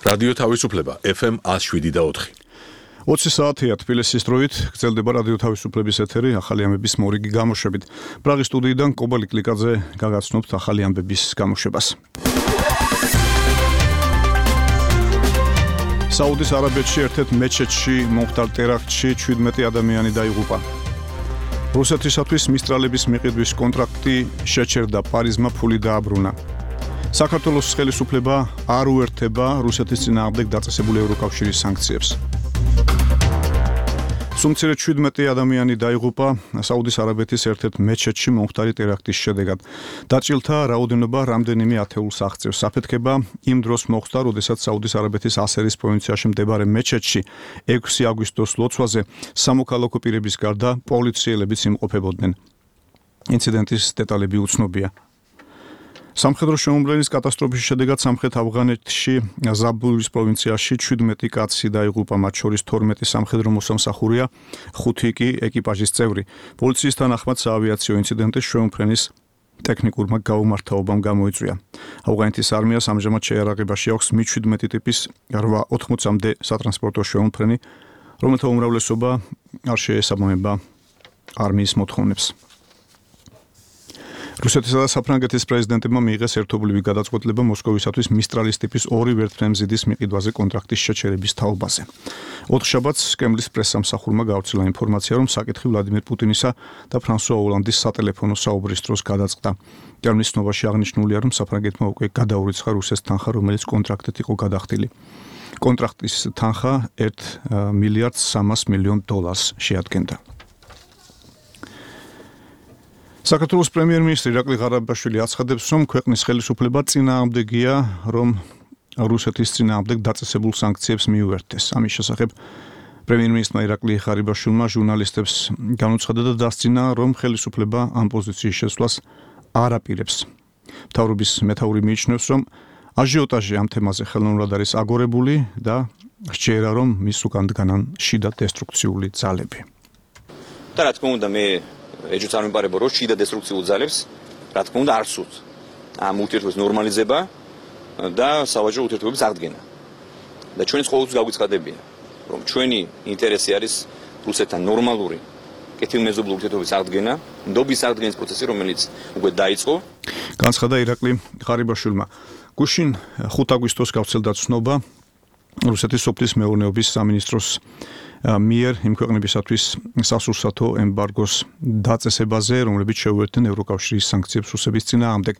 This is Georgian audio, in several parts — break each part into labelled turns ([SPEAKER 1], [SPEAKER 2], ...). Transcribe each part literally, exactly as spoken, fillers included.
[SPEAKER 1] რადიო თავისუფლება ეფ ემ one oh seven და four.
[SPEAKER 2] ოცი საათია თბილისის დროით გრძელდება რადიო თავისუფლების ეთერი ახალი ამბების მორიგი გამოშვებით. პრაღის სტუდიიდან კობა ლიკლიკაძე გაგაცნობთ ახალი ამბების გამოშვებას. საუდის არაბეთში ერთ-ერთ მეჩეთში მომხდარ ტერაქტში შვიდმეტი ადამიანი დაიღუპა. რუსეთისათვის მისტრალების მიყიდვის კონტრაქტი შეჩერდა, პარიზმა ფული დააბრუნა. საქართველოს ხელისუფლება არ უერთდება რუსეთის წინააღმდეგ დაწესებული ევროკავშირის სანქციებს. სუმცირედ შვიდმეტი ადამიანი დაიღუპა საუდის არაბეთის ერთ-ერთ მეჩეთში მომხდარი ტერაქტის შედეგად. დაჭილთა რაოდენობა რამდენიმე ათეულს აღწევს. საფეთქება იმ დროს მოხდა, როდესაც საუდის არაბეთის ასერის პროვინციაში მდებარე მეჩეთში ექვსი აგვისტოს ლოცვაზე სამოქალაქო პირების გარდა პოლიციელებიც იმყოფებოდნენ. ინციდენტის დეტალები უცნობია. სამხედრო შეუმბლელის კატასტროფის შედეგად სამხრეთ ავღანეთში ზაბულის პროვინციაში შვიდმეტი კაცი დაიღუპა, მათ შორის თორმეტი სამხედრო მოსამსახურეა, ხუთი კი ეკიპაჟის წევრი. პოლიციის თანახმად საავიაციო ინციდენტი შეუმფრენის ტექნიკურმა გაუმართავობამ გამოიწვია. ავღანეთის არმიას ამჟამად შეიარაღებაში აქვს მი შვიდმეტი ტიპის რვა ოცდაათამდე სატრანსპორტო შეუმფრენი, რომელთა უმრავლესობა არ შეესაბამება არმიის მოთხოვნებს. რუსეთისა და საფრანგეთის პრეზიდენტებმა მიიღეს ერთობლივი გადაწყვეტილება მოსკოვისათვის მისტრალის ტიპის ორი ვერტმფრენზიდის მიყიდვაზე კონტრაქტის შეჩერების თაობაზე. ოთხშაბათს კრემლის პრესსამსახურმა გავრცელა ინფორმაცია, რომ საკითხი ვლადიმერ პუტინისა და ფრანსუა ოლანდის სატელეფონო საუბრის დროს გადაწყდა. კრემლის ცნობაში აღნიშნულია, რომ საფრანგეთმა უკვე გადაურიცხა რუსეთს თანხა, რომელიც კონტრაქტით იყო გადახდილი. კონტრაქტის თანხა ერთ მილიარდ სამას მილიონ დოლარს შეადგენდა. საქართველოს პრემიერ-მინისტრი ირაკლი ღარიბაშვილი აცხადებს, რომ ქვეყნის ხელისუფლება წინააღმდეგია, რომ რუსეთის წინააღმდეგ დაწესებულ სანქციებს მიუერთდეს. ამის შესახებ პრემიერ-მინისტრმა ირაკლი ღარიბაშვილმა ჟურნალისტებს განუცხადა და დასძინა, რომ ხელისუფლება ამ პოზიციის შესვლას არ აპირებს. მთავრობის მეთაური მიიჩნევს, რომ აჟიოტაჟი ამ თემაზე ხელოვნურად არის აგორებული და სჯერა, რომ მის უკან დგანან შიდა დესტრუქციული ძალები.
[SPEAKER 3] და რა თქმა უნდა, მე ეჯუც არ მიმარება, რომ შიდა დესტრუქციულ ძალებს, რა თქმა უნდა, არ სურთ ამ ურთიერთობის ნორმალიზება და სავაჭრო ურთიერთობების აღდგენა. და ჩვენს ყოველთვის გავიცხადებია, რომ ჩვენი ინტერესი არის რუსეთთან ნორმალური კეთილმეზობლური ურთიერთობის აღდგენა, ნდობის აღდგენის პროცესი, რომელიც უკვე დაიწყო.
[SPEAKER 2] განცხადა ირაკლი ღარიბაშვილმა. გუშინ ხუთ აგვისტოს გავრცელდა ცნობა რუსეთის სოფლის მეურნეობის სამინისტროს მიერ იმ ქვეყნებისათვის სასურსათო ემბარგოს დაწესებაზე, რომლებიც შეუერთდნენ ევროკავშირის სანქციებს რუსეთის წინააღმდეგ.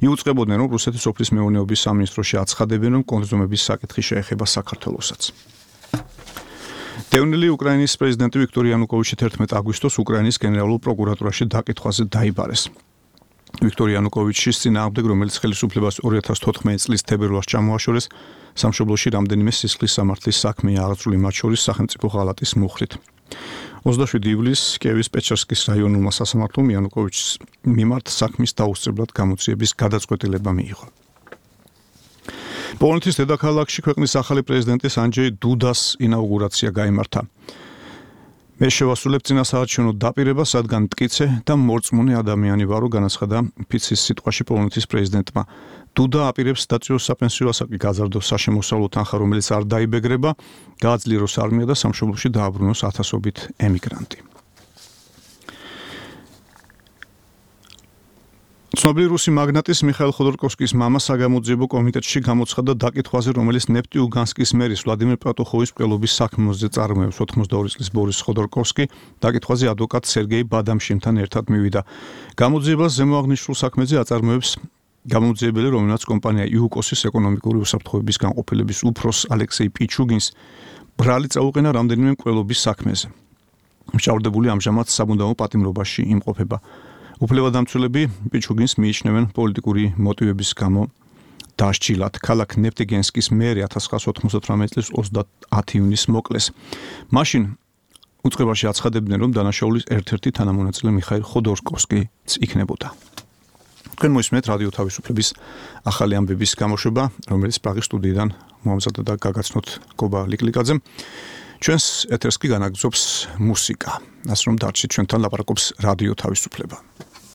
[SPEAKER 2] იუწყებოდნენ, რომ რუსეთის სოფლის მეურნეობის სამინისტროში აცხადებენ, რომ კონზუმების საკითხი შეეხება საქართველოსაც. დევნილი უკრაინის პრეზიდენტი ვიქტორ იანუკოვიჩი თერთმეტ აგვისტოს უკრაინის გენერალურ პროკურატურაში დაკითხვაზე დაიბარეს. ვიქტორ იანუკოვიჩის წინააღმდეგ, რომელიც ხელისუფლებას ორი ათას თოთხმეტი წლის თებერვალს ჩამოაშორეს, სამშობლოში რამდენიმე სისხლის სამართლის საქმეა აღძრული, მათ შორის სახელმწიფო ღალატის მუხრით. ოცდაშვიდი ივლისს კიევის პეჩერსკის რაიონულმა სასამართლომ იანუკოვიჩის მიმართ საქმის დაუსწრებლად გამოძიების გადაწყვეტილება მიიღო. პოლონეთის დედაქალაქში ქვეყნის ახალი პრეზიდენტის ანჯეი დუდას ინაუგურაცია გაიმართა. მე შევასრულებ წინასაარჩევნო დაპირებას, რადგან მტკიცე და მორწმუნე ადამიანი ვარო, განაცხადა ფიცის სიტყვაში პოლონეთის პრეზიდენტმა. დუდა აპირებს დაწიოს საპენსიო ასაკი, გაზარდოს საშემოსავლო თანხა, რომელიც არ დაიბეგრება, გააძლიეროს არმია და სამშობლოში დააბრუნოს ათასობით ემიგრანტი. ცნობილი რუსი მაგნატის მიხაილ ხოდორკოვსკის მამა საგამოძიებო კომიტეტში გამოცხადდა დაკითხვაზე, რომელიც ნეფტიუგანსკის მერის ვლადიმერ პატუხოვის მკვლელობის საქმეზე წარმოებს. ოცდაორი წლის ბორის ხოდორკოვსკი დაკითხვაზე ადვოკატ სერგეი ბადამშინთან ერთად მივიდა. გამოძიებას ზემოაღნიშნულ საქმეზე აწარმოებს გამოძიებელი, რომელმაც კომპანია იუკოსის ეკონომიკური უსაფრთხოების განყოფილების უფროს ალექსეი პიჩუგინს ბრალი წაუყენა რამდენიმე მკვლელობის საქმეზე. მშავდებული ამჟამად საბუნდაო პატიმრობაში იმყოფება. უფლებადამცველები პიჩუგინს მიიჩნევენ პოლიტიკური მოტივების გამო დასჯილად. ქალაქ ნეფტიგენსკის მერი ათას ცხრაასი ოთხმოცდათვრამეტი წლის ოცდაათი ივნისს მოკლეს. მაშინ უწყებაში აცხადებდნენ, რომ დანაშაულის ერთ-ერთი თანამონაწილე მიხაილ ხოდორკოვსკიც იქნებოდა. თქვენ მოისმენთ რადიო თავისუფლების ახალი ამბების გამოშვება, რომელიც პრაღის სტუდიიდან მოამზადა და გაგაცნოთ კობა ლიკლიკაძემ. ჩვენს ეთერს კი განაგრძობს მუსიკა. ასე რომ დარჩით ჩვენთან ლაპარაკობს რადიო თავისუფლება.